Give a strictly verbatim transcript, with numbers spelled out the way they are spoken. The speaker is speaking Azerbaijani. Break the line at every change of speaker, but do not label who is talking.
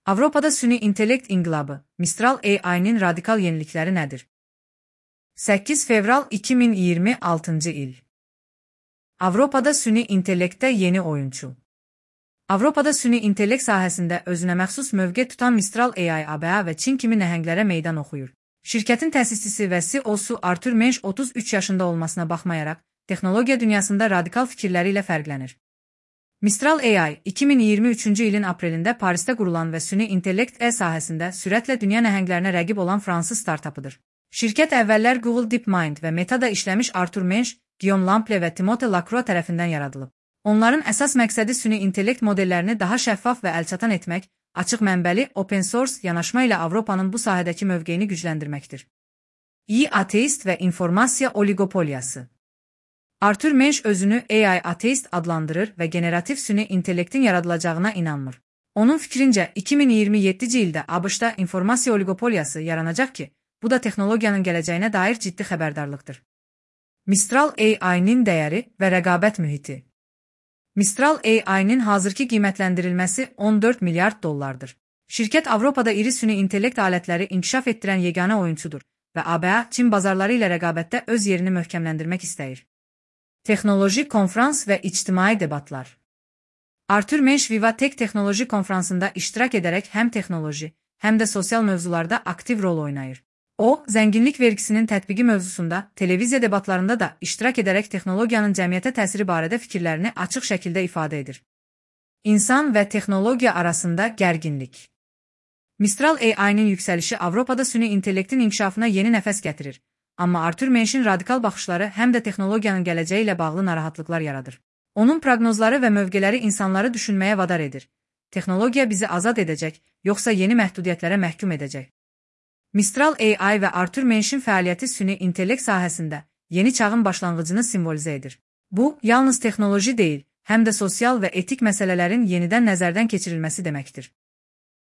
Avropada süni intellekt inqilabı, Mistral A I-nin radikal yenilikləri nədir? səkkiz fevral iki min iyirmi altıncı il. Avropada süni intellektdə yeni oyunçu. Avropada süni intellekt sahəsində özünə məxsus mövqe tutan Mistral A I A B A və Çin kimi nəhənglərə meydan oxuyur. Şirkətin təsisçisi və C E O-su Arthur Mensch otuz üç yaşında olmasına baxmayaraq, texnologiya dünyasında radikal fikirləri ilə fərqlənir. Mistral A I, iki min iyirmi üçüncü ilin aprelində Parisdə qurulan və süni intellekt E sahəsində sürətlə dünya nəhənglərinə rəqib olan fransız startapıdır. Şirkət əvvəllər Google DeepMind və Meta-da işləmiş Arthur Mensch, Guillaume Lample və Timothée Lacroix tərəfindən yaradılıb. Onların əsas məqsədi süni intellekt modellərini daha şəffaf və əlçatan etmək, açıq mənbəli, open source yanaşma ilə Avropanın bu sahədəki mövqeyini gücləndirməkdir. İ ateist və informasiya oligopoliyası. Arthur Mensch özünü A I ateist adlandırır və generativ süni intellektin yaradılacağına inanmır. Onun fikrincə, iki min iyirmi yeddinci ildə ABŞ-da informasiya oligopoliyası yaranacaq ki, bu da texnologiyanın gələcəyinə dair ciddi xəbərdarlıqdır. Mistral A I-nin dəyəri və rəqabət mühiti. Mistral A I-nin hazırki qiymətləndirilməsi on dörd milyard dollardır. Şirkət Avropada iri süni intellekt alətləri inkişaf etdirən yeganə oyunçudur və A B A, Çin bazarları ilə rəqabətdə öz yerini möhkəmləndirmək istəyir. Texnoloji konfrans və ictimai debatlar. Arthur Mensch Viva Tech texnoloji konfransında iştirak edərək həm texnoloji, həm də sosial mövzularda aktiv rol oynayır. O, zənginlik vergisinin tətbiqi mövzusunda, televiziya debatlarında da iştirak edərək texnologiyanın cəmiyyətə təsiri barədə fikirlərini açıq şəkildə ifadə edir. İnsan və texnologiya arasında gərginlik. Mistral A I-nin yüksəlişi Avropada süni intellektin inkişafına yeni nəfəs gətirir. Amma Arthur Mensch'in radikal baxışları həm də texnologiyanın gələcəyi ilə bağlı narahatlıqlar yaradır. Onun proqnozları və mövqeləri insanları düşünməyə vadar edir. Texnologiya bizi azad edəcək, yoxsa yeni məhdudiyyətlərə məhkum edəcək. Mistral A I və Arthur Mensch'in fəaliyyəti süni intellekt sahəsində yeni çağın başlanğıcını simvolizə edir. Bu, yalnız texnoloji deyil, həm də sosial və etik məsələlərin yenidən nəzərdən keçirilməsi deməkdir.